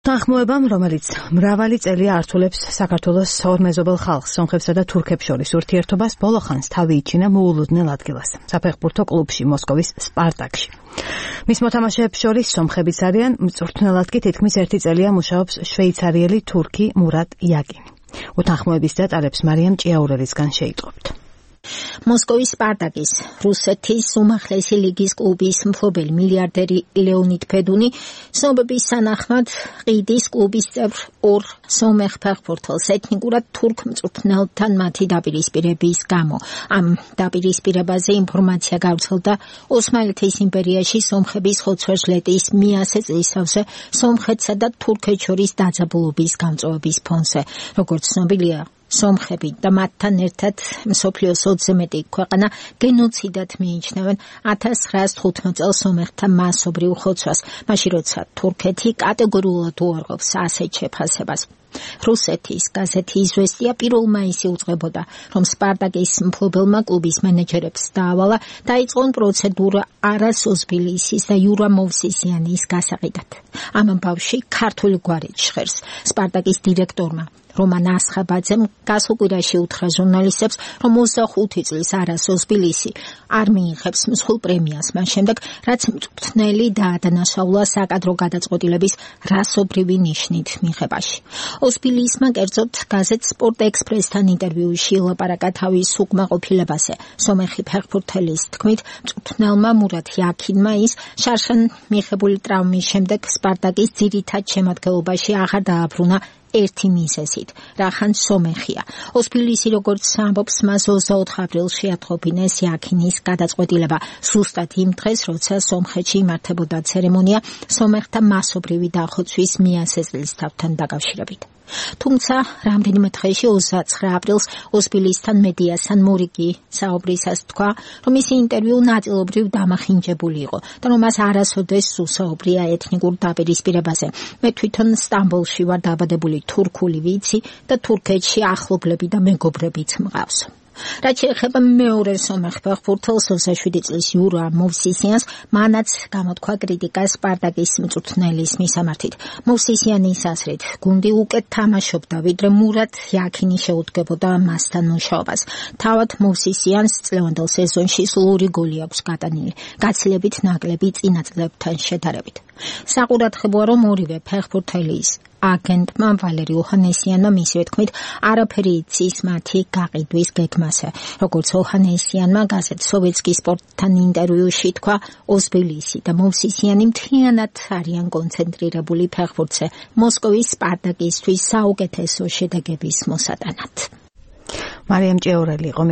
თანხმოებამ, რომელიც მრავალი წელია ართულებს საქართველოს ორმეზობელ ხალხს, სომხებსა და თურქებს შორის ურთიერთობას, ბოლო ხანს თავი იჩინა მოულოდნელ ადგილას, საფეხბურთო კლუბში, მოსკოვის სპარტაკში. მის მოთამაშეებს შორის სომხებიც არიან, მწვრთნელად კი თითქმის 1 წელია მუშაობს შვეიცარიელი თურქი მურატ იაკინი. უთანხმოების დეტალებს მარიამ ჭიაურელისგან შეიტყობთ. მოსკოვის სპარტაკის რუსეთის უმაღლესი ლიგის კლუბის მფლობელი მილიარდერი ლეონიდ ფედუნი ცნობების სანახმად ყიდის კლუბის წევრ ორ სომეხ ფეხბურთელს ეთნიკურად თურქ მწვრთნელთან მათი დაპირისპირების გამო. ამ დაპირისპირებაზე ინფორმაცია გავრცელდა ოსმალეთის იმპერიაში სომხების ხოცვერჟლეტის მიასე წლისთავზე სომხეთსა და თურქეთს შორის დაძაბულობის გამწვავების ფონზე. როგორც ცნობილია, სომხები და მათთან ერთად მსოფლიოს 20-ზე მეტი ქვეყანა გენოციდად მიიჩნევენ 1915 წელს სომეხთა მასობრივ ხოცვას, მაშინ როცა თურქეთი კატეგორიულად უარყოფს ასეთ შეფასებას. რუსეთის გაზეთი „იზვესტია“ 1 მაისს უძღვებოდა, რომ სპარტაკის მფლობელმა კლუბის მენეჯერებს დაავალა დაიწყონ პროცედურა არას ოზბილისის და იურა მოვსისიანის გასაყიდად. ამ ამბავში ქართული გვარი ჟღერს. სპარტაკის დირექტორმა რომან ასხაბაძემ გასულ კვირაში უთხრა ჟურნალისტებს, რომ 25 წლის არას ოზბილისი არ მიიღებს მსხვილ პრემიას მას შემდეგ, რაც მწვრთნელი დაადანაშაულა საკადრო გადაწყვეტილების რასობრივი ნიშნით მიღებაში. ოზბილისმა კერძოდ გაზეთ სპორტ ექსპრესთან ინტერვიუში ელაპარაკა თავის უკმაყოფილებაზე. სომეხი ფეხბურთელის თქმით, მწვრთნელმა მურატ იაკინმა ის შარშან მიღებული ტრავმის შემდეგ სპარტაკის ძირითად შემადგენლობაში აღარ დააბრუნა ერთი მიზეზით, რახან სომეხია. ოზბილისი, როგორც ამბობს, მას 24 აპრილში ათხოვინეს იაკინის გადაწყვეტილება, ზუსტად იმ დღეს, როცა სომხეთში იმართებოდა ცერემონია სომეხთა მასობრივი დახოცვის მიასე წლისთავთან დაკავშირებით. თუმცა რამდენიმე დღეში 29 აპრილს ოზბილისთან მედიასთან მორიგი საუბრისას თქვა, რომ მისი ინტერვიუ ნაწილობრივ დამახინჯებული იყო და რომ მას არასოდეს უსაუბრია ეთნიკურ დაპირისპირებაზე. მე თვითონ სტამბოლში ვარ დაბადებული, თურქული ვიცი და თურქეთში ახლობლები და მეგობრებიც მყავს. რაც შეეხება მეორე სომეხ ფეხბურთელს 27 წლის იურა მოვსისიანს, მანაც გამოთქვა კრიტიკა სპარტაკის მწვრთნელის მისამართით. მოვსისიანის აზრით, გუნდი უკეთ თამაშობდა, ვიდრე მურატ იაკინი შეუდგებოდა მასთან მუშაობას. თავად მოვსისიანს წლევანდელ სეზონში სულ 2 გოლი აქვს გატანილი, გაცილებით ნაკლები წინა წლებთან შედარებით. საყურადღებოა, რომ ორივე ფეხბურთელის აგენტმა ვალერი ოჰანესიანმა მისივე თქმით არაფერი იცის მათი გაყიდვის გეგმაზე. როგორც ოჰანესიანმა გაზეთ სოვიეტსკი სპორტთან ინტერვიუში თქვა, ოზბილისი და მოვსისიანი მთლიანად არიან კონცენტრირებული ფეხბურთზე, მოსკოვის სპარტაკისთვის საუკეთესო შედეგების მოსატანად. მარიამ ჭიაურელი იყო